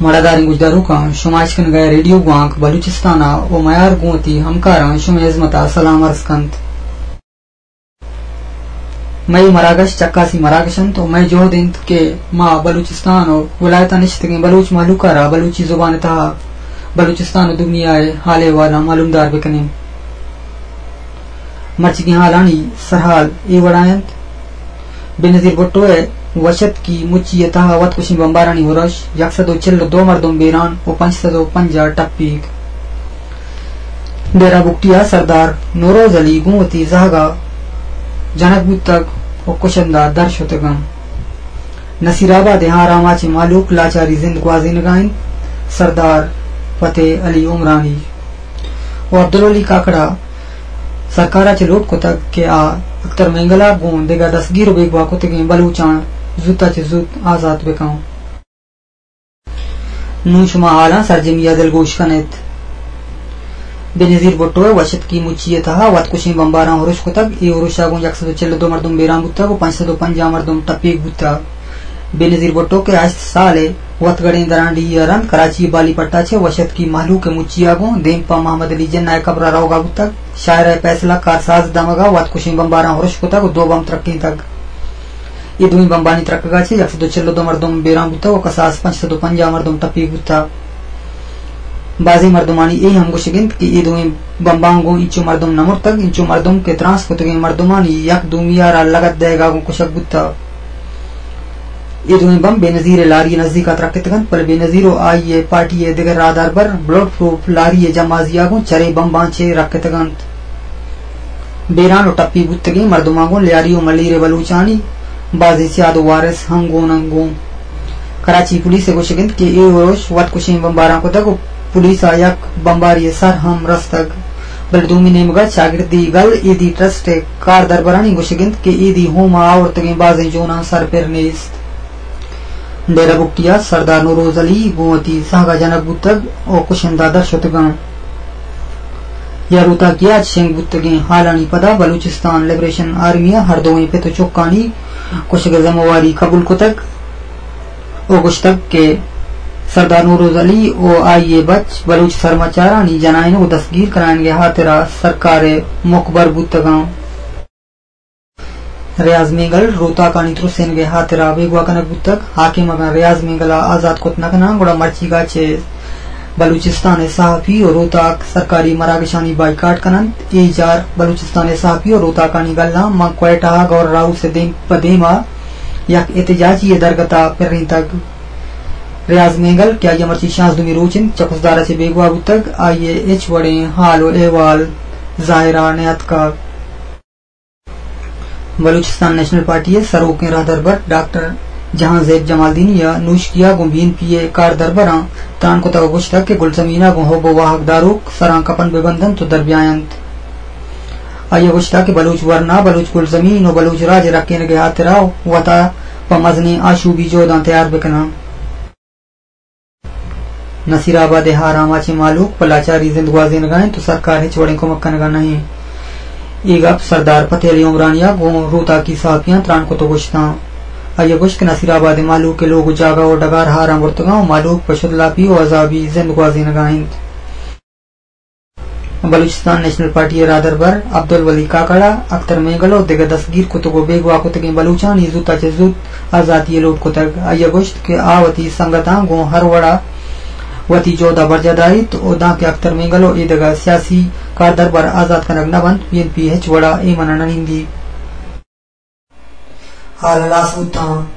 وڑداریں گوشداروکاں، شما اشکنگا ریڈیو گوانک بلوچستان ء و میار گوں وتی ہمکاراں شمئے ہزمت ء سلام عرض کنت۔ مئے مراگش چکاسی مراگش انت و مئے جہد انت کہ ما بلوچستان و ولایتاں نشتگیں بلوچ مہلوک ء را بلوچی زبان ء تہا بلوچستان و دنیا ء حال احوالاں معلومدار بکنیں۔ مرچیگیں حالانی سرحال اے وڑا انت۔ بے نظیر بھٹو ء وشتکی مچی ء تہا وت کشیں بمبارانی ہرش، یک سد و چل و دو مردم بیران و پنچ سد و پنجاہ ٹپیگ۔ ڈیرہ بگٹی ء سردار نوروز علی گوں وتی زہگ ء جنگ بوتگ و کشندہ در شتگ انت۔ نصیر آباد ء ہاراما چہ مہلوک لاچاری زند گوازینگا انت۔ سردار فتح علی عمرانی و عبدالولی کاکڑ ء سرکار ء چہ لوٹ کتگ کہ آ اختر مینگل ء گوں دگہ دستگیر و بیگواہ کتگیں بلوچاں زوت ء چہ زوت آزات بہ کن۔ نوں شما حالاں سرجمی ء دلگوش کن ات۔ بے نظیر بھٹو ء وشتکی مچی ء تہا وت کشیں بمباراں ہرش کتگ۔ اے ہرش ء گوں یک سد و چل و دو مردم بیران بوتگ و پنچ سد و پنجاہ مردم ٹپیگ بوتگ۔ بے نظیر بھٹو کہ ہشت سال ء وتگڑیں درانڈیھی ء رند کراچی ء بالی پٹ ء چہ وشتکی مہلوک ء مچی ء گوں دیم پہ محمد علی جناح ء قبر ء روگ ء بوتگ، شاعرہ ء فیصلہ کارساز دمگ ء وت کشیں بمباراں ہرش کتگ و دو بمب ترکینتگ۔ اے دوئیں بمبانی ترکگ ء چہ یک سد و چل و دو مردم بیران بوتگ و کساس پنچ سد و پنجاہ مردم ٹپیگ بوتگ۔ بازیں مردمانی اے ہم گوشگ انت کہ اے دوئیں بمباں گوں انچو مردم نہ مرتگ، انچو مردم کہ ترانس کتگیں مردمانی یک دومی ء را لگت دئیگ ء گوں کشگ بوتگ۔ اے دوئیں بمب بے نظیر ء لاری ء نزیک ء ترکتگ انت، بلے بے نظیر و آئی ء پارٹی ء دگہ راہداربر بلٹ پروف لاری ء جمازی ء گوں چرے بمباں چہ رکتگ انت۔ بیران و ٹپی بوتگیں مردماں گوں لیاری و ملیر ء بلوچانی بازیں سیاد و وارث ہم گون انت گوں۔ کراچی پولیس ء گوشگ انت کہ اے ہرش وت کشیں بمباراں کتگ و پولیس ء یک بمباری ء سر ہم رستگ، بلے دومی نیمگ ء چاگردی گل ایدی ٹرسٹ ء کاردربرانی گوشگ انت کہ ایدی ہوم ء آورتگیں بازیں جوناں سر پر نیست۔ ڈیرہ بگٹی ء سردار نوروز علی گوں وتی زہگ ء جنگ بوتگ و کشندہ در شتگاں۔ یا روتاکی ء چہ شنگ بوتگیں حالانی پدا بلوچستان لبریشن آرمی ء ہر دوئیں پت و چکانی کشگ ء ذمہ واری قبول کتگ و گوشتگ کہ سردار نوروز علی و آئی ء بچ بلوچ سرمچارانی جنائینگ و دستگیر کنائینگ ء ہاترا سرکار ء مکبر بوتگاں۔ ریاض مینگل روتاکانی ترسینگ ء ہاترا بیگواہ کنگ بوتگ۔ حاکم اگاں ریاض مینگل ء آزات کت نہ کناں، گڑا مرچیگا چہ بلوچستان ء صحافی و روتاک سرکاری مراگشانی بائیکاٹ کن انت۔ اے جار بلوچستان ء صحافی و روتاکانی گلاں ماں کوئٹہ ء گورنر ہاؤس ء دیم پہ دیما یک احتجاجی ء درگت ء پرینتگ۔ ریاض مینگل کہ آئی ء مرچی شانزدہمی روچ انت چہ خضدار ء چہ بیگواہ بوتگ، آئی ء ہچ وڑیں حال و احوال ظاہر ء نیاتکگ۔ بلوچستان نیشنل پارٹی ء سروکیں راہدربر ڈاکٹر جہانزیب جمالدینی ء نوشکی ء گوں بی این پی ء کاردربراں تران کتگ ء گوشتگ کہ گلزمین ء گوں حب ء واہگ داروک سراں کپن بہ بند انت ء در بیا انت۔ آئی ء گوشتگ کہ بلوچ ورنا، بلوچ گلزمین ء بلوچ راج ء رکینگ ء ہاترا وتا پہ مزنیں آشوبی جہداں تیار بہ کناں۔ نصیر آباد ء ہارام ء چہ مہلوک پہ لاچاری زند گوازینگ ء انت و سرکار ہچ وڑیں کمک کنگ ء نہ انت۔ اے گپ سردار فتح علی عمرانی ء گوں روتاکی صحافیاں تران کت و گوشتاں۔ آئی ء گوشت کہ نصیر آباد ء مہلوک ء لوگ و جاگہ و ڈگار ہارام برتگاں و مہلوک پہ شدلاپی و عذابی زند گوازینگ ء انت۔ بلوچستان نیشنل پارٹی ء راہدربر عبدالولی کاکڑ ء اختر مینگل ء دگہ دستگیر کتگ ء بیگواہ کتگیں بلوچانی زوت ء چہ زوت آزاتی ء لوٹ کتگ۔ آئی ء گوشت کہ آ وتی سنگتاں گوں ہر وڑ ء وتی جہد ء برجاہ داریت ء دانکہ اختر مینگل ء اے دگہ سیاسی کاردربر آزات کنگ نہ بنت، بی این پی ہچ وڑ ء ایمن ء نہ نندیت۔ حال ہلاس بوتاں۔